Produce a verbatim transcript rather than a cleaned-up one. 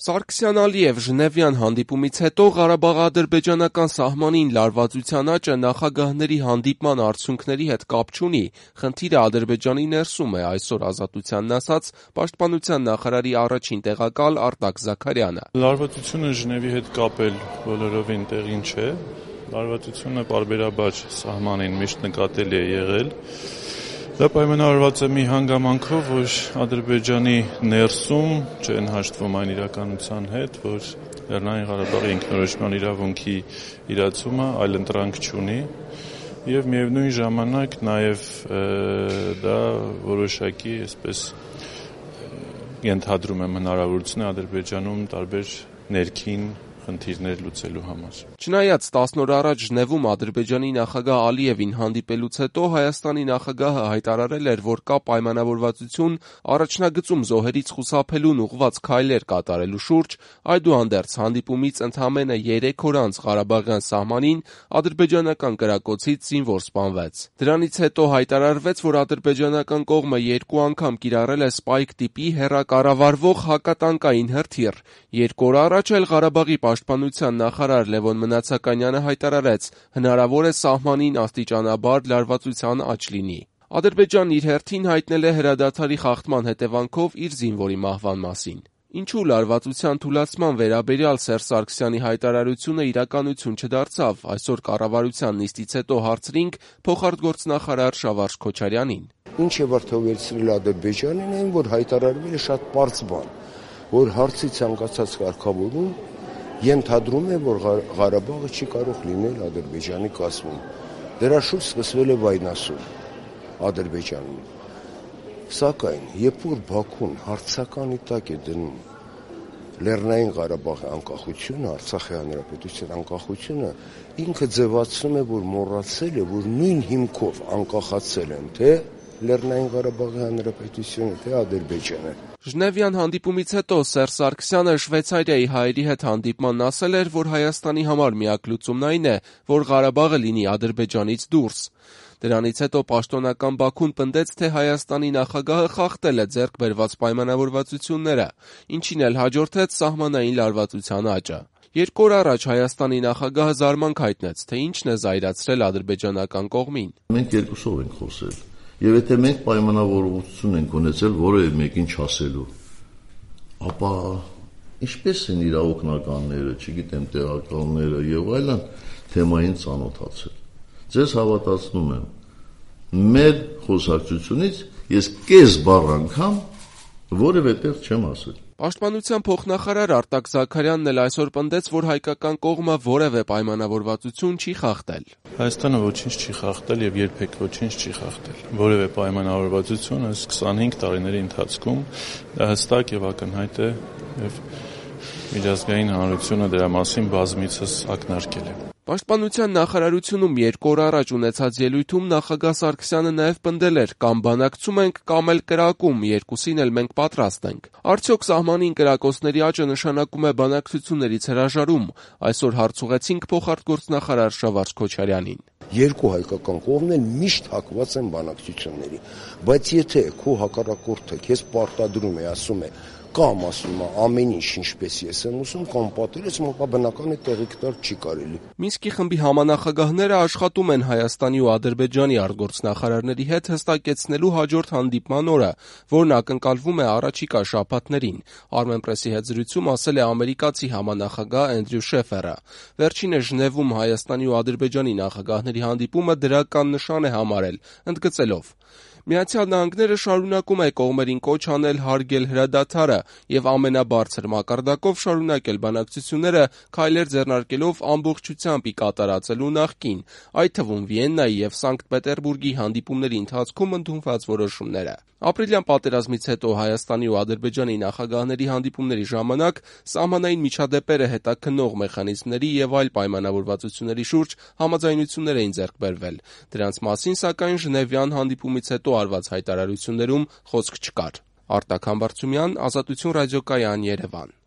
Սարգսյան-Ալիև Ժնևյան հանդիպումից հետո Ղարաբաղ-ադրբեջանական սահմանին լարվածության աճը նախագահների հանդիպման արդյունքների հետ կապ չունի, խնդիրը Ադրբեջանի ներսում է, այսօր Ազատությանն ասաց Պաշտպանության նախարարի առաջին տեղակալ Արտակ Զաքարյանը։ Լարվածությունը Ժնևի հետ կապել բոլորովին տեղին չէ, լարվածությունը պարբերաբար սահմանին միշտ նկատելի է եղել։ Դա պայմանավորված է մի հանգամանքով, որ Ադրբեջանի ներսում չեն հաշտվում այն իրականության հետ, որ Լեռնային Ղարաբաղի ինքնորոշման իրավունքի իրացումը այլընտրանք չունի եւ միևնույն ժամանակ նաեւ դա որոշակի, այսպես ենթադրում եմ, հնարավորություն է Ադրբեջանում տարբեր ներքին խնդիրներ լուծելու համար։ Չնայած տասն օր առաջ Ժնևում Ադրբեջանի նախագահ Ալիևին հանդիպելուց հետո Հայաստանի նախագահը հայտարարել էր, որ կա պայմանավորվածություն առաջնագծում զոհերից խուսափելուն ուղղված քայլեր կատարելու շուրջ, այդուհանդերձ հանդիպումից ընդամենը երեք օր անց Ղարաբաղյան սահմանին ադրբեջանական կրակոցից զինվոր սպանվեց։ Դրանից հետո հայտարարվեց, որ ադրբեջանական կողմը երկու անգամ կիրառել է սպայք տիպի հեռակառավարվող հակատանկային հրթիռ։ Երկու օր առաջ էլ Ղարաբաղի Պաշտպանության նախարար Լևոն Մնացականյանը հայտարարեց, հնարավոր է սահմանին աստիճանաբար լարվածության աճ լինի։ Ադրբեջանն իր հերթին հայտնել է հրադադարի խախտման հետևանքով իր զինվորի մահվան մասին։ Ինչու լարվածության թուլացման վերաբերյալ Սերժ Սարգսյանի հայտարարությունը իրականություն չդարձավ, այսօր կառավարության նիստից հետո հարցրինք փոխարտգործնախարար Շավարժ Քոչարյանին։ Ինչ է վրդովեցրել Ադրբեջանին, այն որ հայտարարվել է շատ պարզ բան, որ հարցի ցանկացած կարգավորում ենթադրում է, որ Ղարաբաղը չի կարող լինել Ադրբեջանի կազմում։ Դրա շուրջ սկսվել է վայնասուն Ադրբեջանում։ Սակայն, երբ որ Բաքուն հարցականի տակ է դնում Լեռնային Ղարաբաղի անկախությունը, Արցախի հանրապետության անկախությունը, ինքը ձևացնում է, որ մոռացել է, որ նույն հիմքով անկախացել են թե Լեռնային Ղարաբաղի հանրապետությունը, թե Ադրբեջանը։ Ժնևյան հանդիպումից հետո Սերժ Սարգսյանը Շվեյցարիայի հայերի հետ հանդիպմանն ասել էր, որ Հայաստանի համար միակ լուծումն այն է, որ Ղարաբաղը լինի Ադրբեջանից դուրս։ Դրանից հետո պաշտոնական Բաքուն պնդեց, թե Հայաստանի նախագահը խախտել է ձեռք բերված պայմանավորվածությունները, ինչին էլ հաջորդեց սահմանային լարվածության աճը։ Երկու օր առաջ Հայաստանի նախագահը զարմանք հայտնեց, թե ինչն է զայրացրել ադրբեջանական կողմին։ Մենք երկուսով ենք խոսել։ Եվ եթե մենք պայմանավորվածություն ենք ունեցել որևէ մեկին չասելու, ապա ինչպես են իր օգնականները, չգիտեմ, տեղակալները եւ այլն թեմային ծանոթացել։ Ձեզ հավատացնում եմ, մեր խոսակցությունից ես կես բառ անգամ որևէ տեղ չեմ ասել։ Պաշտպանության փոխնախարար Արտակ Զաքարյանն էլ այսօր պնդեց, որ հայկական կողմը որևէ պայմանավորվածություն չի խախտել։ Հայաստանը ոչինչ չի խախտել եւ երբեք ոչինչ չի խախտել։ Որևէ պայմանավորվածություն այս քսանհինգ տարիների ընթացքում դա հստակ եւ ակնհայտ է եւ միջազգային հանրությունը դրա մասին բազմիցս ակնարկել է։ Պաշտպանության նախարարությունում երկու օր առաջ ունեցած ելույթում նախագահ Սարգսյանը նաև պնդել էր՝ կամ բանակցում ենք, կամ էլ կրակում, երկուսին էլ մենք պատրաստ ենք։ Արդյոք սահմանին կրակոցների աճը նշանակում է բանակցություններից հրաժարում։ Այսօր հարց ուղեցինք փոխարտգործնախարար Շավարժ Քոչարյանին։ Երկու հայկական կողմն միշտ հակված են բանակցությունների, բայց եթե քո հակառակորդը քեզ պարտադրում է, ասում է կամ ասում է ամեն ինչ ինչպես ես եմ ուզում, կամ պատերազմ, ապա բնական է տեղիք տալ չի կարելի։ Մինսկի խմբի համանախագահները աշխատում են Հայաստանի ու Ադրբեջանի արտգործնախարարների հետ հստակեցնելու հաջորդ հանդիպման օրը, որն ակնկալվում է առաջիկա շաբաթներին։ Armenpress-ի հետ զրույցում ասել է ամերիկացի համանախագահ Էնդրյու Շեֆերը։ Վերջինս Ժնևում Հայաստանի ու Ադրբեջանի նախագահների հանդիպումը դրական նշան է համարել, ընդգծելով. Միացյալ Նահանգները շարունակում է կողմերին կոչ անել հարգել հրադադարը եւ ամենաբարձր մակարդակով շարունակել բանակցությունները, քայլեր ձեռնարկելով ամբողջությամբ ի կատարածելու նախկին, այդ թվում Վիեննայի եւ Սանկտ Պետերբուրգի հանդիպումների ընթացքում ընդունված որոշումները։ Ապրիլյան պատերազմից հետո Հայաստանի ու Ադրբեջանի նախագահների հանդիպումների ժամանակ սահմանային միջադեպերը հետաքննող մեխանիզմների եւ այլ պայմանավորվածությունների շուրջ համաձայնություններ էին ձեռք բերվել։ Դրանց մասին, սակայն, Ժնևյան հանդիպումից հետո արված հայտարարություններում խոսք չկար։ Արտակ Համբարձումյան, Ազատություն ռադիոկայան, Երևան։